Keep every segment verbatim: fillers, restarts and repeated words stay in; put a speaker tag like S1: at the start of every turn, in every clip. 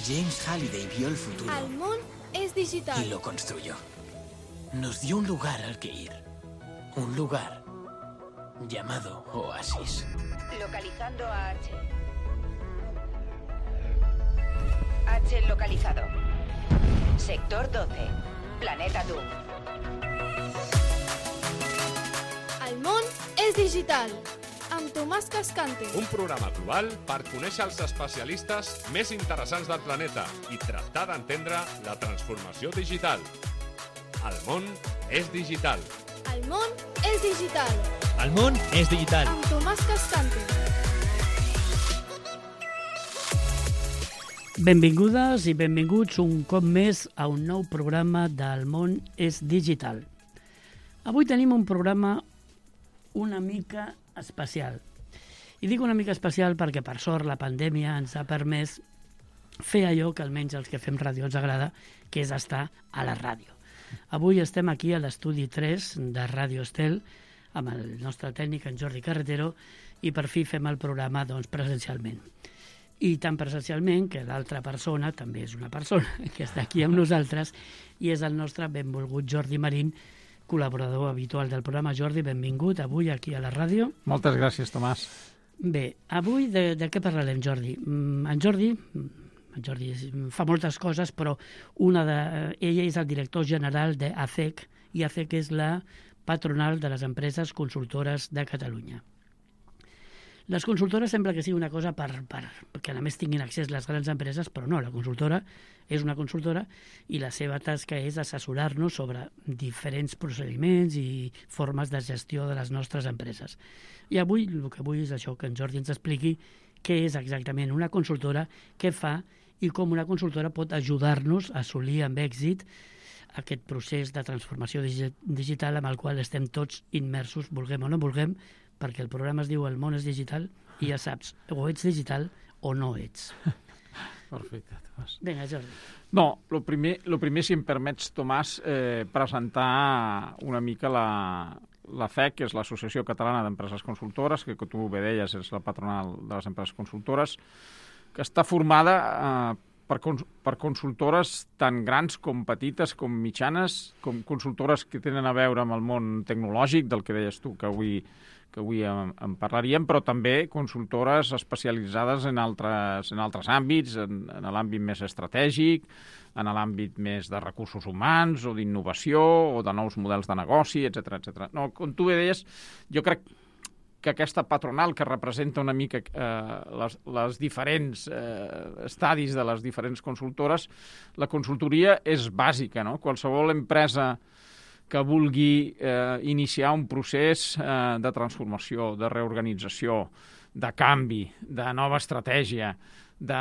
S1: James Halliday vio el futuro.
S2: El món es digital.
S1: Y lo construyó. Nos dio un lugar al que ir. Un lugar llamado Oasis.
S3: Localizando a H. H localizado. Sector doce. Planeta Doom.
S2: El món és digital. Amb Tomàs Cascante.
S4: Un programa global per conèixer els especialistes més interessants del planeta i tractar d'entendre la transformació digital. El món és digital.
S2: El món és digital.
S5: El món és digital.
S2: Amb Tomàs Cascante.
S6: Benvingudes i benvinguts un cop més a un nou programa del món és digital. Avui tenim un programa una mica especial. I dic una mica especial perquè, per sort, la pandèmia ens ha permès fer allò que almenys els que fem ràdio ens agrada, que és estar a la ràdio. Avui estem aquí a l'estudi tres de Ràdio Estel amb el nostre tècnic, en Jordi Carretero, i per fi fem el programa doncs, presencialment. I tan presencialment que l'altra persona també és una persona que està aquí amb nosaltres i és el nostre benvolgut Jordi Marín, col·laborador habitual del programa. Jordi, benvingut avui aquí a la ràdio.
S7: Moltes gràcies, Tomàs.
S6: Bé, avui de, de què parlarem, Jordi? En Jordi, en Jordi fa moltes coses, però una de, ella és el director general d'A C E C, i A C E C és la patronal de les empreses consultores de Catalunya. Les consultores sembla que sigui una cosa per, per, perquè a més tinguin accés les grans empreses, però no, la consultora és una consultora i la seva tasca és assessorar-nos sobre diferents procediments i formes de gestió de les nostres empreses. I avui el que vull és això, que en Jordi ens expliqui què és exactament una consultora, què fa i com una consultora pot ajudar-nos a assolir amb èxit aquest procés de transformació digital amb el qual estem tots immersos, vulguem o no vulguem, perquè el programa es diu El món és digital i ja saps, o ets digital o no ets.
S7: Perfecte, Tomàs.
S6: Vinga, Jordi.
S7: No, el primer, lo primer, si em permets, Tomàs, eh, presentar una mica la, la F E C, que és l'Associació Catalana d'Empreses Consultores, que, que tu bé deies, és la patronal de les empreses consultores, que està formada eh, per, cons per consultores tan grans com petites, com mitjanes, com consultores que tenen a veure amb el món tecnològic, del que deies tu, que avui que avui en, en parlaríem, però també consultores especialitzades en altres, en altres àmbits, en, en l'àmbit més estratègic, en l'àmbit més de recursos humans o d'innovació o de nous models de negoci, etcètera, etcètera. No, com tu bé deies, jo crec que aquesta patronal que representa una mica eh, les, les diferents eh, estadis de les diferents consultores, la consultoria és bàsica, no? Qualsevol empresa que vulgui eh, iniciar un procés eh, de transformació, de reorganització, de canvi, de nova estratègia, de,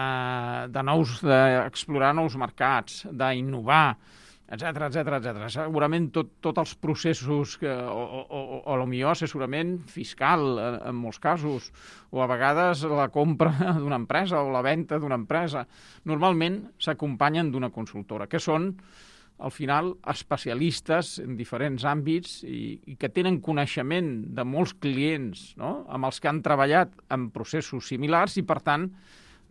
S7: de nous, d'explorar nous mercats, d'innovar, etcètera, etcètera, etcètera. Segurament tot, tots els processos, que, o, o, o, o potser assessorament fiscal, en molts casos, o a vegades la compra d'una empresa o la venda d'una empresa, normalment s'acompanyen d'una consultora, que són al final especialistes en diferents àmbits i, i que tenen coneixement de molts clients, no? Amb els que han treballat en processos similars i, per tant,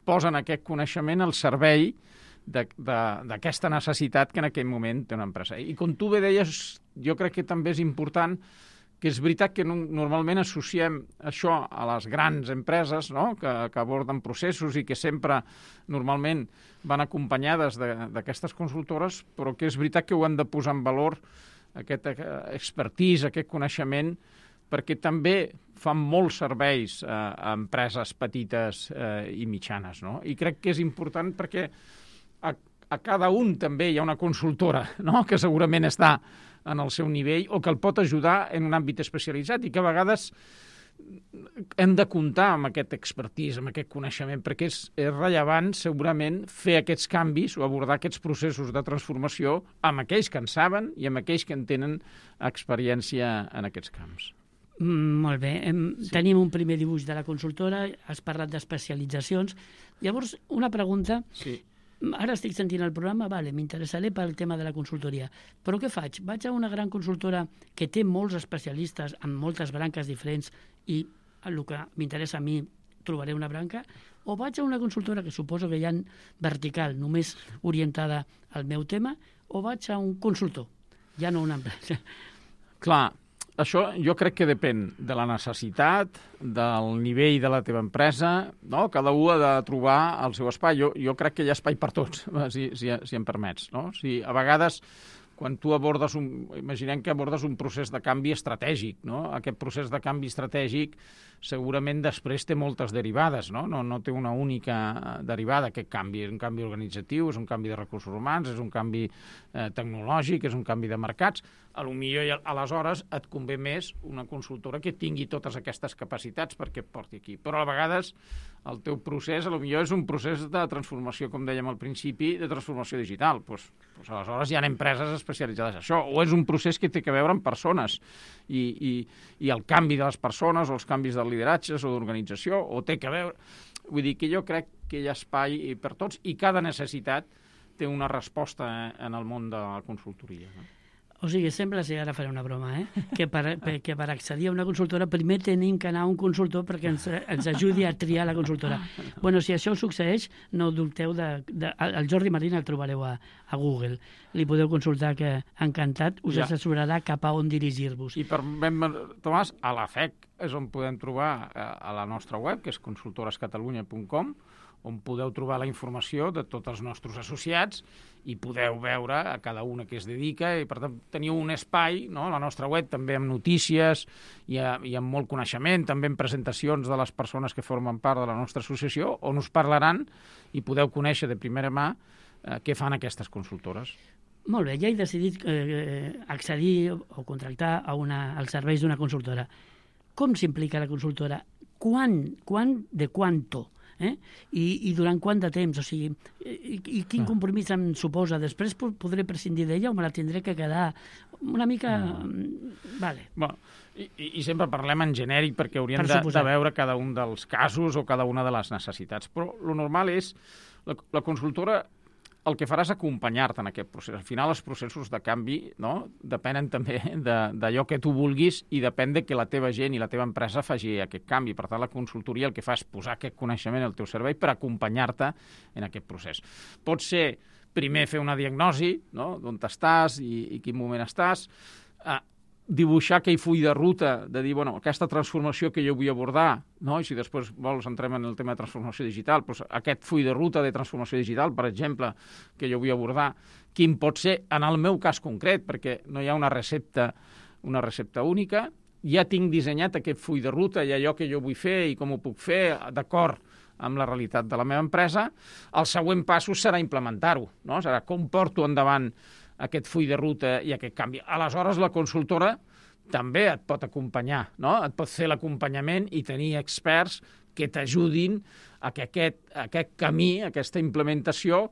S7: posen aquest coneixement al servei d'aquesta necessitat que en aquell moment té una empresa. I com tu bé deies, jo crec que també és important que és veritat que no, normalment associem això a les grans empreses, no? que, que aborden processos i que sempre normalment van acompanyades d'aquestes consultores, però que és veritat que ho han de posar en valor, aquest expertise, aquest coneixement, perquè també fan molts serveis a, a empreses petites eh, i mitjanes. No? I crec que és important perquè a, a cada un també hi ha una consultora, no? que segurament està en el seu nivell o que el pot ajudar en un àmbit especialitzat i que a vegades hem de comptar amb aquest expertise, amb aquest coneixement, perquè és, és rellevant segurament fer aquests canvis o abordar aquests processos de transformació amb aquells que en saben i amb aquells que en tenen experiència en aquests camps.
S6: Mm, molt bé. Hem, sí. Tenim un primer dibuix de la consultora, has parlat d'especialitzacions. Llavors, una pregunta...
S7: Sí.
S6: Ara estic sentint el programa, vale, m'interessaré pel tema de la consultoria, però què faig? Vaig a una gran consultora que té molts especialistes en moltes branques diferents i el que m'interessa a mi trobaré una branca, o vaig a una consultora que suposo que hi ha vertical, només orientada al meu tema, o vaig a un consultor, ja no una empresa.
S7: Clar, això jo crec que depèn de la necessitat, del nivell de la teva empresa, no? Cada un ha de trobar el seu espai. Jo, jo crec que hi ha espai per tots, si, si, si em permets. No? Si a vegades, quan tu abordes un... Imaginem que abordes un procés de canvi estratègic, no? Aquest procés de canvi estratègic segurament després té moltes derivades, no? No, no té una única derivada, aquest canvi. És un canvi organitzatiu, és un canvi de recursos humans, és un canvi eh, tecnològic, és un canvi de mercats. A lo millor, aleshores, et convé més una consultora que tingui totes aquestes capacitats perquè et porti aquí. Però a vegades el teu procés, a lo millor, és un procés de transformació, com dèiem al principi, de transformació digital. Pues, pues aleshores hi ha empreses especialitzades en això. O és un procés que té a veure amb persones i, i, i el canvi de les persones o els canvis de lideratges o d'organització, o té a veure... Vull dir que jo crec que hi ha espai per tots i cada necessitat té una resposta en el món de la consultoria, no?
S6: O sigui, sembla, si ara faré una broma, eh? que, per, que per accedir a una consultora primer tenim que anar a un consultor perquè ens, ens ajudi a triar la consultora. Bueno, si això succeeix, no dubteu de... de el Jordi Marín el trobareu a, a Google. Li podeu consultar, que encantat us ja. assessorarà cap a on dirigir-vos.
S7: I per ben, Tomàs, a la F E C és on podem trobar a la nostra web, que és consultores catalunya punt com, on podeu trobar la informació de tots els nostres associats i podeu veure a cada una que es dedica i, per tant, teniu un espai, no?, a la nostra web, també amb notícies i, a, i amb molt coneixement, també amb presentacions de les persones que formen part de la nostra associació, on us parlaran i podeu conèixer de primera mà eh, què fan aquestes consultores.
S6: Molt bé, ja he decidit eh, accedir o contractar a una, als serveis d'una consultora. Com s'implica la consultora? Quan, quan, de quanto? Eh? I, i durant quant de temps, o sigui, i, i quin compromís em suposa? Després podré prescindir d'ella o me la tindré que quedar una mica... No. Vale.
S7: Bueno, i, i sempre parlem en genèric perquè hauríem per de, de veure cada un dels casos o cada una de les necessitats, però el normal és, la, la consultora el que farà és acompanyar-te en aquest procés. Al final, els processos de canvi, no?, depenen també d'allò que tu vulguis i depèn de que la teva gent i la teva empresa faci aquest canvi. Per tant, la consultoria el que fa és posar aquest coneixement al teu servei per acompanyar-te en aquest procés. Pot ser primer fer una diagnosi, no?, d'on estàs i, i quin moment estàs, eh, dibuixar aquell full de ruta, de dir, bueno, aquesta transformació que jo vull abordar, no? I si després vols entrem en el tema de transformació digital, doncs aquest full de ruta de transformació digital, per exemple, que jo vull abordar, quin pot ser, en el meu cas concret, perquè no hi ha una recepta, una recepta única, ja tinc dissenyat aquest full de ruta i allò que jo vull fer i com ho puc fer, d'acord amb la realitat de la meva empresa. El següent pas serà implementar-ho, no? Serà com porto endavant aquest full de ruta i aquest canvi. Aleshores, la consultora també et pot acompanyar, no? Et pot fer l'acompanyament i tenir experts que t'ajudin a que aquest, aquest camí, aquesta implementació,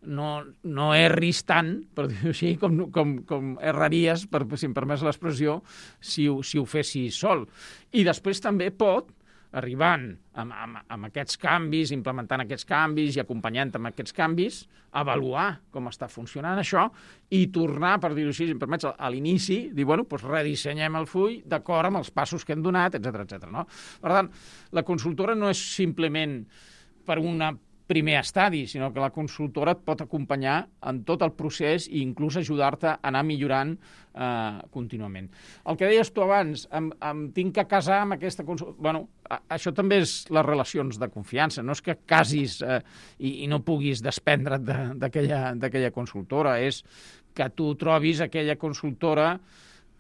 S7: no, no erris tant, per dir-ho així, com, com, com erraries, per, si em permets l'expressió, si, si ho fessis sol. I després també pot, arribant amb, amb, amb aquests canvis, implementant aquests canvis i acompanyant amb aquests canvis, avaluar com està funcionant això i tornar, per dir-ho així, si em permets, a l'inici, dir, bueno, doncs redissenyem el full d'acord amb els passos que hem donat, etcètera, etcètera, no? Per tant, la consultora no és simplement per una primer estadi, sinó que la consultora et pot acompanyar en tot el procés i inclús ajudar-te a anar millorant eh, contínuament. El que deies tu abans, em, em tinc que casar amb aquesta consultora... Bueno, a, això també és les relacions de confiança, no és que casis eh, i, i no puguis desprendre't d'aquella consultora, és que tu trobis aquella consultora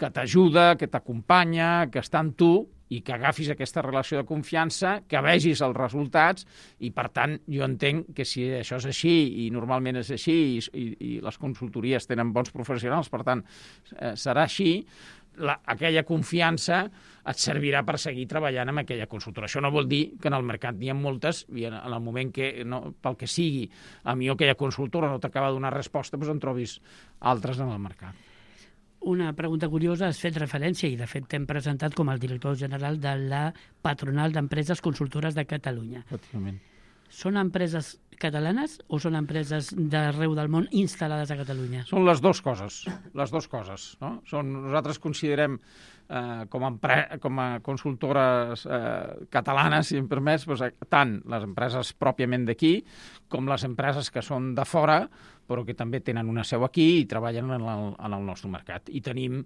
S7: que t'ajuda, que t'acompanya, que està amb tu i que agafis aquesta relació de confiança, que vegis els resultats i, per tant, jo entenc que si això és així i normalment és així i, i, i les consultories tenen bons professionals, per tant, eh, serà així, la, aquella confiança et servirà per seguir treballant amb aquella consultora. Això no vol dir que en el mercat n'hi ha moltes i en el moment que, no, pel que sigui, a mi aquella consultora no t'acaba de donar resposta, doncs en trobis altres en el mercat.
S6: Una pregunta curiosa, has fet referència i de fet t'hem presentat com el director general de la Patronal d'Empreses Consultores de Catalunya.
S7: Efectivament.
S6: Són empreses catalanes o són empreses d'arreu del món instal·lades a Catalunya?
S7: Són les dues coses, les dues coses. No? Són, nosaltres considerem eh, com, a empre, com a consultores eh, catalanes, si em permets, doncs, tant les empreses pròpiament d'aquí com les empreses que són de fora, però que també tenen una seu aquí i treballen en el, en el nostre mercat. I tenim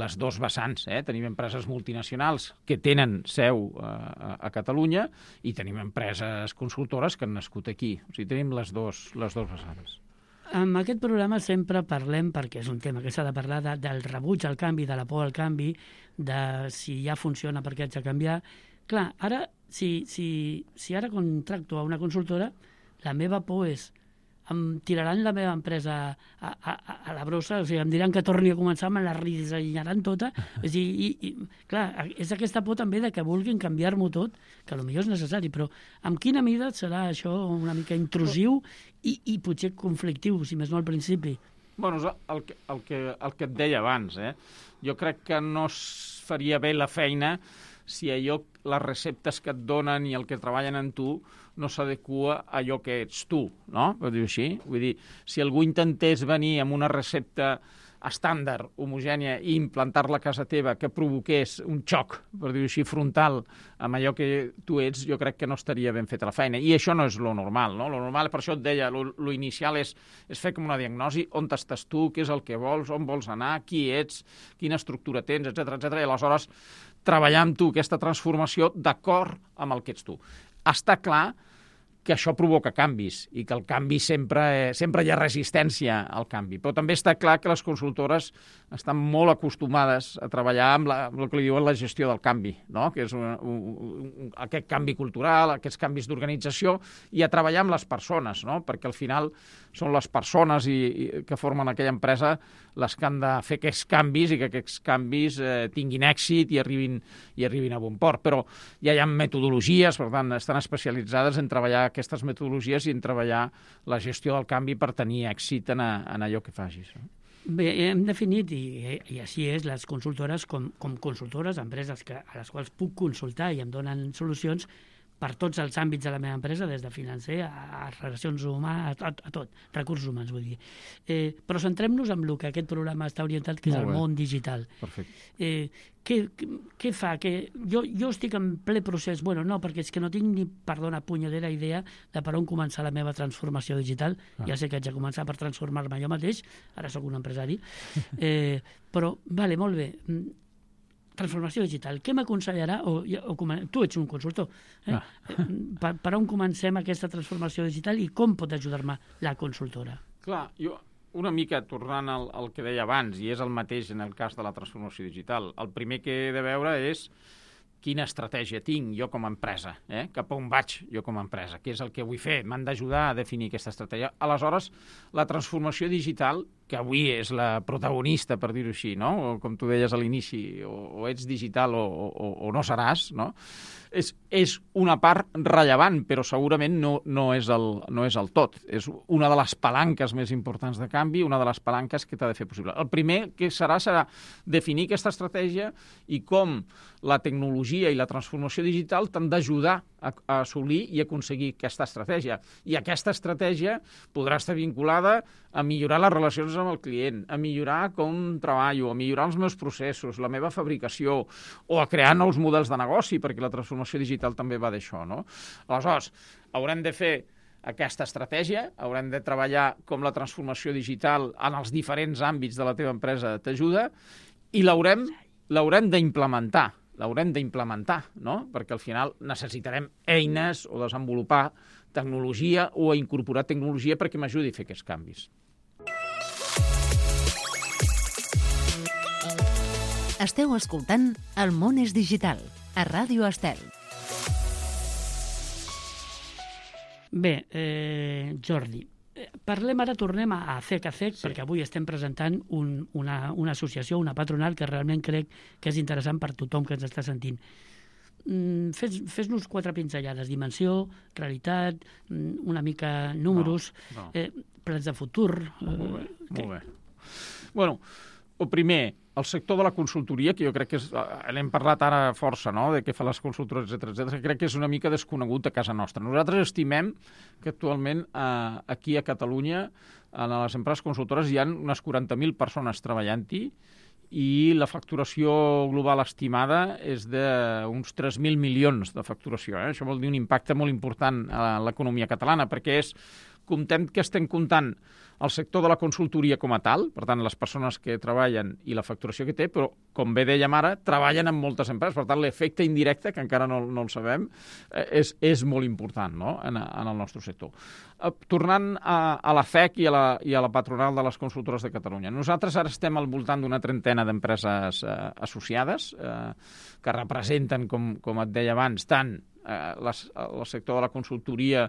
S7: les dos vessants. Eh? Tenim empreses multinacionals que tenen seu eh, a, a Catalunya i tenim empreses consultores que han nascut aquí. O sigui, tenim les dos, les dos vessants.
S6: En aquest programa sempre parlem, perquè és un tema que s'ha de parlar, de, del rebuig al canvi, de la por al canvi, de si ja funciona per què haig de canviar. Clar, ara, si, si, si ara contracto a una consultora, la meva por és em tiraran la meva empresa a, a, a la brossa, o sigui, em diran que torni a començar, me la redissenyaran tota. És dir, i, i, clar, és aquesta por també de que vulguin canviar-m'ho tot, que potser és necessari, però en quina mida serà això una mica intrusiu i, i potser conflictiu, si més no al principi?
S7: Bueno, el que, el que, el que et deia abans, eh? Jo crec que no es faria bé la feina si allò, les receptes que et donen i el que treballen en tu no s'adequa a allò que ets tu, no? Per dir-ho així. Vull dir, si algú intentés venir amb una recepta estàndard, homogènia, i implantar-la a casa teva que provoqués un xoc, per dir-ho així, frontal amb allò que tu ets, jo crec que no estaria ben feta la feina. I això no és lo normal, no? Lo normal, per això et deia, lo, lo inicial és, és fer com una diagnosi, on estàs tu, què és el que vols, on vols anar, qui ets, quina estructura tens, etcètera, etcètera, i aleshores treballar amb tu aquesta transformació d'acord amb el que ets tu. Està clar que això provoca canvis i que el canvi sempre, eh, sempre hi ha resistència al canvi. Però també està clar que les consultores estan molt acostumades a treballar amb, la, amb el que li diuen la gestió del canvi, no? Que és un, un, un, aquest canvi cultural, aquests canvis d'organització, i a treballar amb les persones, no? Perquè al final són les persones i, i, que formen aquella empresa les que han de fer aquests canvis i que aquests canvis eh, tinguin èxit i arribin, i arribin a bon port. Però ja hi ha metodologies, per tant, estan especialitzades en treballar aquestes metodologies i en treballar la gestió del canvi per tenir èxit en, a, en allò que facis. No?
S6: Bé, hem definit, i, i així és, les consultores com, com consultores, empreses que, a les quals puc consultar i em donen solucions per tots els àmbits de la meva empresa, des de financer a, a relacions humanes, a, a, a tot, recursos humans, vull dir. Eh, però centrem-nos en el que aquest programa està orientat, que és el món digital.
S7: Perfecte.
S6: Eh, què, què fa? Que jo, jo estic en ple procés, bueno, no, perquè és que no tinc ni, perdona, punyedera idea de per on començar la meva transformació digital. Ah. Ja sé que haig de començar per transformar-me jo mateix, ara sóc un empresari, eh, però, vale, molt bé, transformació digital. Què m'aconsellarà? O, o, tu ets un consultor. Eh? Ah. Per, per on comencem aquesta transformació digital i com pot ajudar-me la consultora?
S7: Clar, jo una mica tornant al, al que deia abans, i és el mateix en el cas de la transformació digital, el primer que he de veure és quina estratègia tinc jo com a empresa, eh? Cap a on vaig jo com a empresa, què és el que vull fer, m'han d'ajudar a definir aquesta estratègia. Aleshores, la transformació digital, que avui és la protagonista, per dir-ho així, no? O, com tu deies a l'inici, o, o ets digital o, o, o no seràs, no? És, és una part rellevant, però segurament no, no, és el, no és el tot. És una de les palanques més importants de canvi, una de les palanques que t'ha de fer possible. El primer que serà serà definir aquesta estratègia i com la tecnologia i la transformació digital t'han d'ajudar a, a assolir i aconseguir aquesta estratègia. I aquesta estratègia podrà estar vinculada a millorar les relacions amb el client, a millorar com treballo, a millorar els meus processos, la meva fabricació, o a crear nous models de negoci, perquè la transformació digital també va d'això, no? Aleshores, haurem de fer aquesta estratègia, haurem de treballar com la transformació digital en els diferents àmbits de la teva empresa t'ajuda, i l'haurem l'haurem d'implementar, l'haurem d'implementar, no? Perquè al final necessitarem eines o desenvolupar tecnologia o incorporar tecnologia perquè m'ajudi a fer aquests canvis.
S8: Esteu escoltant El món és digital, a Ràdio Estel.
S6: Bé, eh, Jordi, parlem ara, tornem a ACEC, ACEC, sí. Perquè avui estem presentant un, una, una associació, una patronal, que realment crec que és interessant per tothom que ens està sentint. Mm, fes, fes-nos quatre pinzellades, dimensió, realitat, una mica números, no, no. Eh, plans de futur...
S7: Molt bé, molt bé. Bueno, el primer, el sector de la consultoria, que jo crec que és, n'hem parlat ara força, no?, de què fa les consultores, etcètera, etcètera, crec que és una mica desconegut a casa nostra. Nosaltres estimem que actualment eh, aquí a Catalunya, en les empreses consultores, hi ha unes quaranta mil persones treballant-hi i la facturació global estimada és d'uns tres mil milions de facturació. Eh? Això vol dir un impacte molt important a l'economia catalana, perquè és, comptem que estem comptant el sector de la consultoria com a tal, per tant, les persones que treballen i la facturació que té, però, com bé dèiem ara, treballen en moltes empreses. Per tant, l'efecte indirecte, que encara no, no el sabem, és, és molt important, no?, en, en el nostre sector. Tornant a, a la F E C i a la, i a la patronal de les consultores de Catalunya. Nosaltres ara estem al voltant d'una trentena d'empreses eh, associades eh, que representen, com, com et deia abans, tant Eh, les, el sector de la consultoria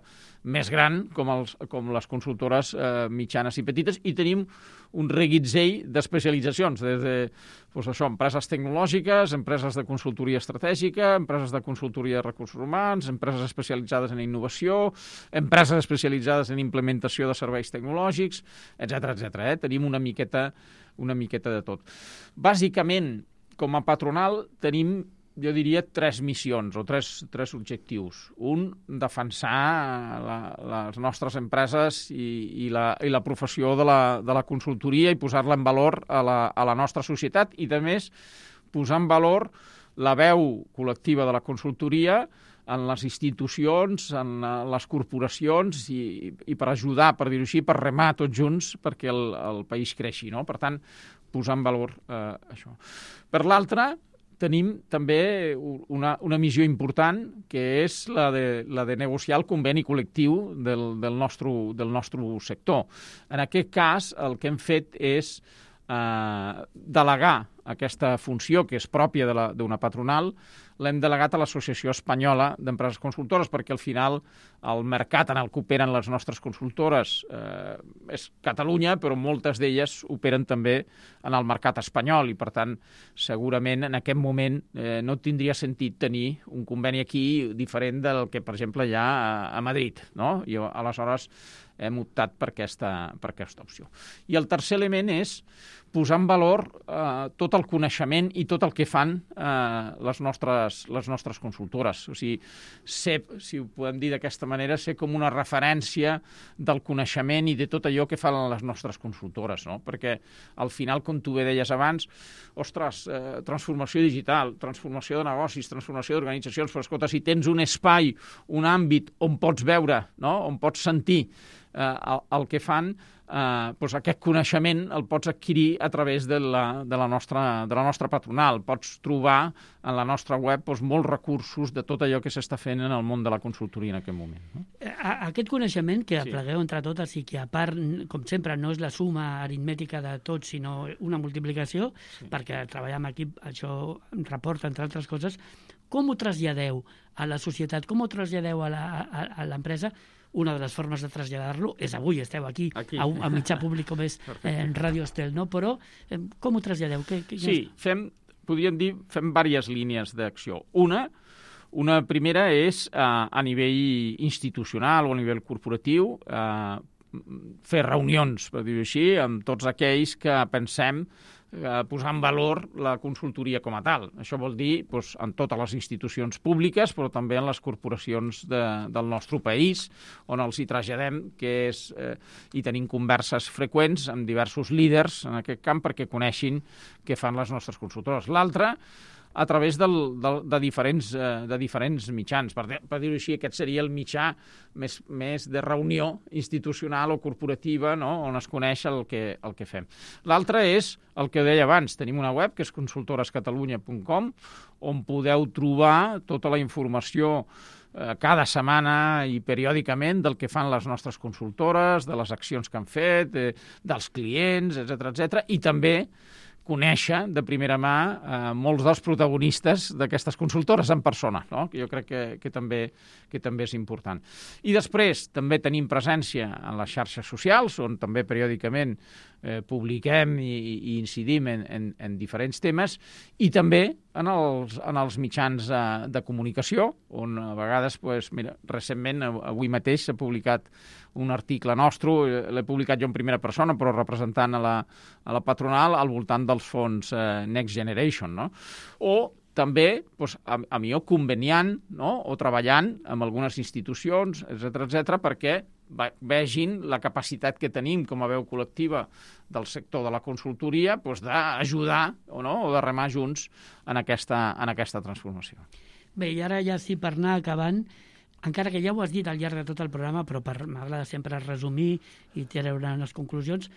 S7: més gran com, els, com les consultores eh, mitjanes i petites, i tenim un reguitzell d'especialitzacions, des de doncs això, empreses tecnològiques, empreses de consultoria estratègica, empreses de consultoria de recursos humans, empreses especialitzades en innovació, empreses especialitzades en implementació de serveis tecnològics, etcètera, etcètera. Eh? Tenim una miqueta, una miqueta de tot. Bàsicament, com a patronal, tenim, jo diria, tres missions o tres, tres objectius. Un, defensar la, les nostres empreses i, i, la, i la professió de la, de la consultoria i posar-la en valor a la, a la nostra societat, i, a més, posar en valor la veu col·lectiva de la consultoria en les institucions, en les corporacions i, i per ajudar, per dir-ho així, per remar tots junts perquè el, el país creixi, no? Per tant, posar en valor eh, això. Per l'altra, tenim també una, una missió important, que és la de, la de negociar el conveni col·lectiu del, del, nostre, del nostre sector. En aquest cas, el que hem fet és eh, delegar aquesta funció, que és pròpia d'una patronal, l'hem delegat a l'Associació Espanyola d'Empreses Consultores, perquè al final el mercat en el que operen les nostres consultores eh, és Catalunya, però moltes d'elles operen també en el mercat espanyol, i per tant segurament en aquest moment eh, no tindria sentit tenir un conveni aquí diferent del que, per exemple, hi ha a, a Madrid, no? I aleshores hem optat per aquesta, per aquesta opció. I el tercer element és posar en valor eh, tot el coneixement i tot el que fan eh, les, nostres, les nostres consultores. O sigui, ser, si ho podem dir d'aquesta manera, ser com una referència del coneixement i de tot allò que fan les nostres consultores, no? Perquè al final, com tu bé deies abans, ostres, eh, transformació digital, transformació de negocis, transformació d'organitzacions, però escolta, si tens un espai, un àmbit on pots veure, no?, on pots sentir eh, el, el que fan, Eh, doncs aquest coneixement el pots adquirir a través de la, de la, nostra, de la nostra patronal. Pots trobar en la nostra web doncs, molts recursos de tot allò que s'està fent en el món de la consultoria en aquest moment. No?
S6: Aquest coneixement que
S7: Sí.
S6: aplegueu entre totes i que, a part, com sempre, no és la suma aritmètica de tots, sinó una multiplicació, sí. perquè treballar en equip, això reporta, entre altres coses, com ho traslladeu a la societat, com ho traslladeu a la, a, a l'empresa? Una de les formes de traslladar-lo és avui, esteu aquí, aquí. A, a mitjà públic com és eh, Ràdio Estel, no? Però eh, com ho traslladeu? Que, que
S7: sí, fem, podríem dir, fem diverses línies d'acció. Una, una primera és eh, a nivell institucional o a nivell corporatiu, eh, fer reunions, per dir-ho així, amb tots aquells que pensem eh, posar en valor la consultoria com a tal. Això vol dir doncs, en totes les institucions públiques, però també en les corporacions de, del nostre país, on els hi traslladem que és, eh, i tenim converses freqüents amb diversos líders en aquest camp perquè coneixin què fan les nostres consultores. L'altra, a través del, del, de, diferents, eh, de diferents mitjans. Per, per dir-ho així, aquest seria el mitjà més, més de reunió institucional o corporativa, no?, on es coneix el que, el que fem. L'altre és el que deia abans. Tenim una web, que és consultores catalunya punt com, on podeu trobar tota la informació eh, cada setmana i periòdicament del que fan les nostres consultores, de les accions que han fet, eh, dels clients, etcètera, etcètera, i també conèixer de primera mà eh, molts dels protagonistes d'aquestes consultores en persona, no? Que jo crec que, que, també, que també és important. I després també tenim presència en les xarxes socials, on també periòdicament eh, publiquem i, i incidim en, en, en diferents temes, i també en els, en els mitjans de, de comunicació, on a vegades, pues, mira, recentment, avui mateix s'ha publicat un article nostre, l'he publicat jo en primera persona, però representant a la, a la patronal al voltant dels fons eh, Next Generation, no? O també, doncs, a, a millor conveniant, no? O treballant amb algunes institucions, etcètera, etcètera, perquè vegin la capacitat que tenim com a veu col·lectiva del sector de la consultoria, doncs, d'ajudar o, no? O de remar junts en aquesta, en aquesta transformació.
S6: Bé, i ara ja sí, per anar acabant, encara que ja ho has dit al llarg de tot el programa, però per m'agrada sempre resumir i treure unes conclusions,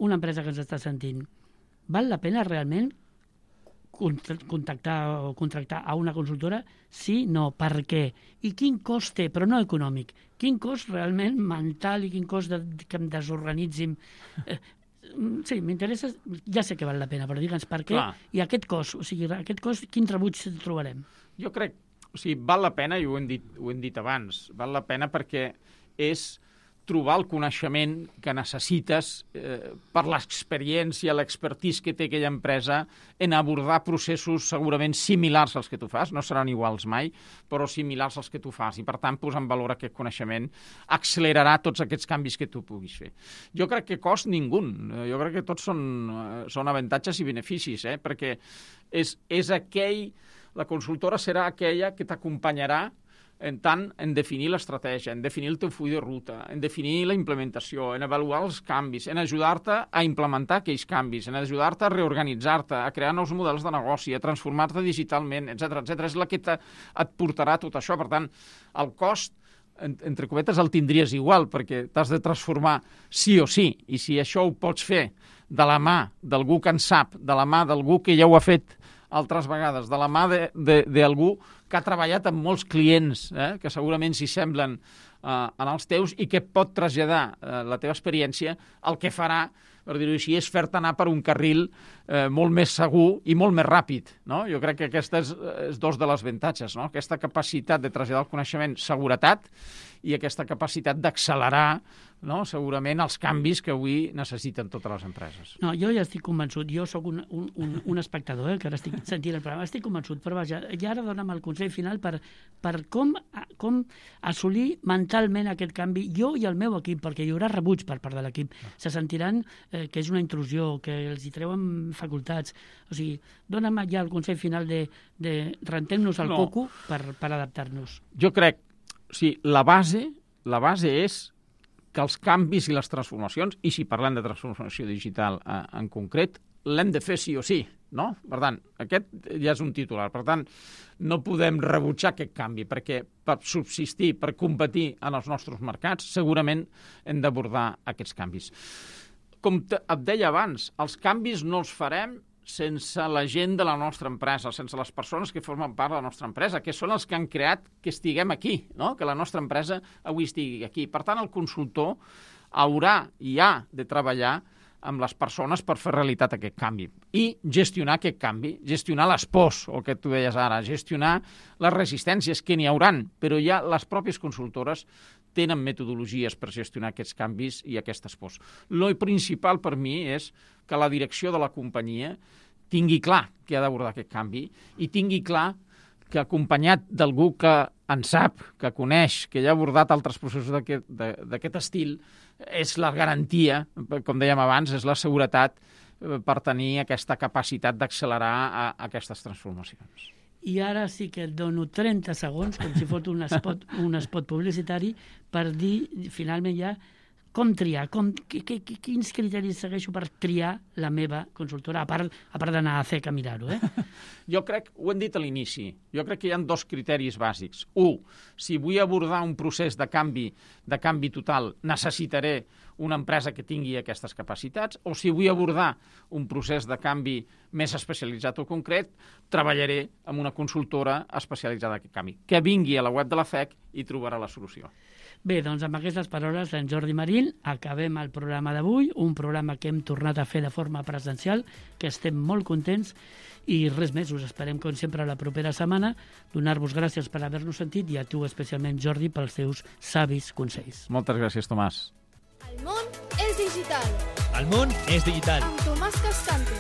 S6: una empresa que ens està sentint, val la pena realment contactar o contractar a una consultora? Sí, no, per què? I quin cost té, però no econòmic? Quin cost realment mental i quin cost de, que em desorganitzin? Eh, sí, m'interessa, ja sé que val la pena, però digue'ns per què. Clar. I aquest cost, o sigui, aquest cost, quin rebuig trobarem?
S7: Jo crec, o sigui, val la pena, i ho hem dit, ho hem dit abans, val la pena perquè és trobar el coneixement que necessites eh, per l'experiència, l'expertise que té aquella empresa en abordar processos segurament similars als que tu fas, no seran iguals mai, però similars als que tu fas, i per tant posar en valor aquest coneixement accelerarà tots aquests canvis que tu puguis fer. Jo crec que cost ningú, jo crec que tots són, són avantatges i beneficis, eh? Perquè és, és aquell, la consultora serà aquella que t'acompanyarà en tant en definir l'estratègia, en definir el teu full de ruta, en definir la implementació, en avaluar els canvis, en ajudar-te a implementar aquells canvis, en ajudar-te a reorganitzar-te, a crear nous models de negoci, a transformar-te digitalment, etcètera, etcètera. És la que te, et portarà tot això. Per tant, el cost, entre cometes, el tindries igual, perquè t'has de transformar sí o sí, i si això ho pots fer de la mà d'algú que en sap, de la mà d'algú que ja ho ha fet altres vegades, de la mà d'algú que ha treballat amb molts clients, eh, que segurament s'hi semblen eh, en els teus, i que pot traslladar eh, la teva experiència, el que farà, per dir-ho així, és fer-te anar per un carril eh, molt més segur i molt més ràpid, no? Jo crec que aquesta és, és dos de les avantatges, no? Aquesta capacitat de traslladar el coneixement, seguretat, i aquesta capacitat d'accelerar, no? Segurament els canvis que avui necessiten totes les empreses.
S6: No, jo ja estic convençut, jo sóc un, un, un, un espectador, eh, que ara estic sentint el programa, estic convençut, però vaja, i ara dona'm el consell final per, per com, com assolir mentalment aquest canvi, jo i el meu equip, perquè hi haurà rebuig per part de l'equip, se sentiran eh, que és una intrusió, que els hi treuen facultats, o sigui, dona'm ja el consell final de, de rentem-nos el no. coco per, per adaptar-nos.
S7: Jo crec, o sigui, la base, la base és que els canvis i les transformacions, i si parlem de transformació digital eh, en concret, l'hem de fer sí o sí, no? Per tant, aquest ja és un titular. Per tant, no podem rebutjar aquest canvi, perquè per subsistir, per competir en els nostres mercats, segurament hem d'abordar aquests canvis. Com et deia abans, els canvis no els farem sense la gent de la nostra empresa, sense les persones que formen part de la nostra empresa, que són els que han creat que estiguem aquí, no? Que la nostra empresa avui estigui aquí. Per tant, el consultor haurà i ha de treballar amb les persones per fer realitat aquest canvi i gestionar aquest canvi, gestionar les pors, el que tu deies ara, gestionar les resistències, que n'hi hauran, però ja les pròpies consultores tenen metodologies per gestionar aquests canvis i aquestes pors. Lo principal per mi és que la direcció de la companyia tingui clar que ha d'abordar aquest canvi i tingui clar que acompanyat d'algú que en sap, que coneix, que ja ha abordat altres processos d'aquest estil, és la garantia, com dèiem abans, és la seguretat per tenir aquesta capacitat d'accelerar aquestes transformacions.
S6: I ara sí que et dono trenta segons, com si fos un spot, un spot publicitari, per dir, finalment ja, com triar, com, que, que, quins criteris segueixo per triar la meva consultora, a part, a part d'anar a C E C a mirar-ho, eh?
S7: Jo crec, ho hem dit a l'inici, jo crec que hi ha dos criteris bàsics. Un, si vull abordar un procés de canvi, de canvi total, necessitaré una empresa que tingui aquestes capacitats, o si vull abordar un procés de canvi més especialitzat o concret, treballaré amb una consultora especialitzada en aquest canvi. Que vingui a la web de la F E C i trobarà la solució.
S6: Bé, doncs amb aquestes paraules d'en Jordi Marín acabem el programa d'avui, un programa que hem tornat a fer de forma presencial, que estem molt contents, i res més, us esperem com sempre la propera setmana, donar-vos gràcies per haver-nos sentit i a tu especialment, Jordi, pels teus savis consells.
S7: Moltes gràcies, Tomàs.
S2: El món és digital.
S5: El món és digital.
S2: Amb Tomàs Cascante.